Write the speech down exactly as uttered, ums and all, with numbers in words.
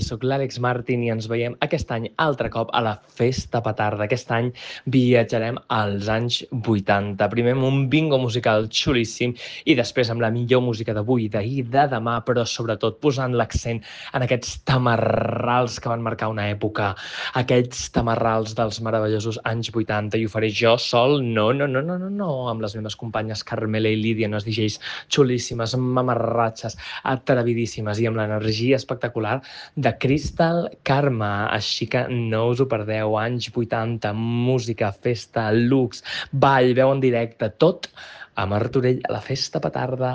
sóc l'Àlex Martín i ens veiem aquest any altre cop a la Festa Petarda. Aquest any viatjarem als anys vuitanta. Primer amb un bingo musical xulíssim i després amb la millor música d'avui, d'ahir, de demà, però sobretot posant l'accent en aquests tamarrals que van marcar una època, aquests tamarrals dels meravellosos anys vuitanta, i ho faré jo sol, no, no, no, no, no, no, amb les meves companyes Carmela i Lídia, unes D Js xulíssimes, mamarratxes, atrevidíssimes i amb l'energia espectacular de Crystal Karma. Així que no us ho perdeu. Anys vuitanta, música, festa, looks, ball, veu en directe, tot a Martorell a la Festa Petarda.